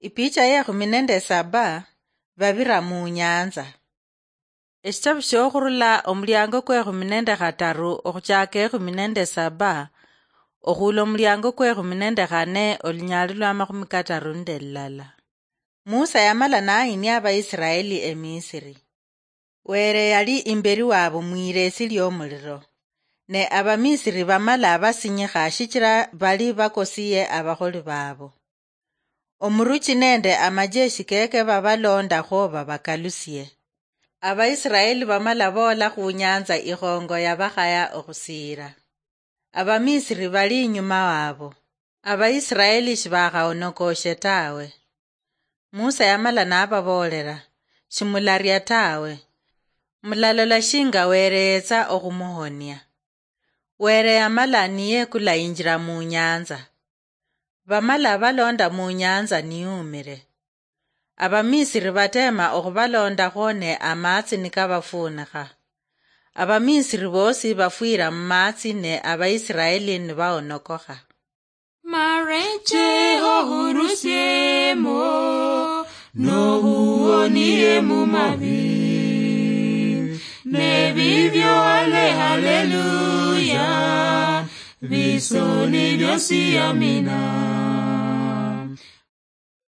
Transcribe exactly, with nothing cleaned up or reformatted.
Ipicha yekhumi nende saba, babira mu nyanza. Eshitabu shokhurula omuliango kwekhumi nende khataru okhuchaka ekhumi nende saba, okhula omuliango kwekhumi nende khane olunyali lwa makhumi kataru nende lulala. Musa yamala nayinia Abaisiraeli eMisiri. Were yali imberi wabo mwiresi liomuliro, ne Abamisiri bamala basinyikha shichira bali bakosiye abakholi babo. Omuruchi nende amajeshi keke babalondakhwo babakalusie. Abaisiraeli bamala boola khu nyanza ikhongo yabakhaya okhusiira. Abamisiri bali inyuma wabo. Abaisiraeli shibakhaonokoshe tawe. Musa yamala nababoolera, "Shimularia tawe. Mulalola shinga Were yetsa okhumuhonia." Were yamala niyekula injira mu nyanza. Bamala balonda mu nyanza niyumire. Abamisiri batema okhubalondakhwo ne amatsi nikabafunikha. Abamisiri bosi bafwira mu matsi ne Abaisiraeli nibaonokokha. Mareche ohurusiemo, nohuonie mu mabi. Nebibyo ale haleluya, bisoni byosi amina.